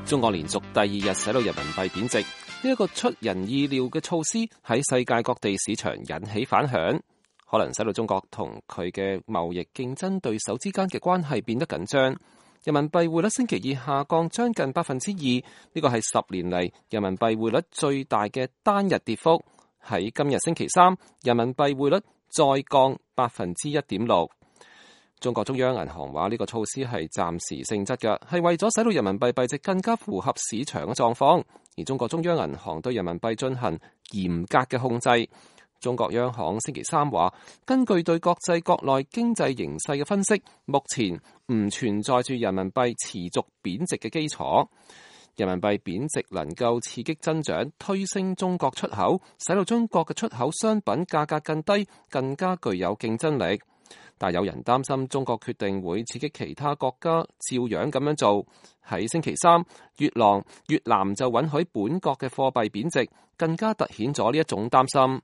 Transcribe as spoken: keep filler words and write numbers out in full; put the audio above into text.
中國連續第二日使到人民幣貶值，呢、這、一個出人意料嘅措施喺世界各地市場引起反響，可能使到中國同佢嘅貿易競爭對手之間嘅關係變得緊張。人民幣匯率星期二下降將近百分之二，呢個係十年嚟人民幣匯率最大嘅單日跌幅。喺今日星期三，人民幣匯率再降百分之一點六。中國中央銀行話呢個措施係暫時性質嘅，係為咗使到人民幣幣值更加符合市場嘅狀況。而中國中央銀行對人民幣進行嚴格嘅控制。中國央行星期三話，根據對國際國內經濟形勢嘅分析，目前唔存在住人民幣持續貶值嘅基礎。人民幣貶值能夠刺激增長，推升中國出口，使到中國嘅出口商品價格更低，更加具有競爭力。但有人擔心中國決定會刺激其他國家照樣咁樣做。喺星期三，越南越南就允許本國嘅貨幣貶值，更加凸顯咗呢一種擔心。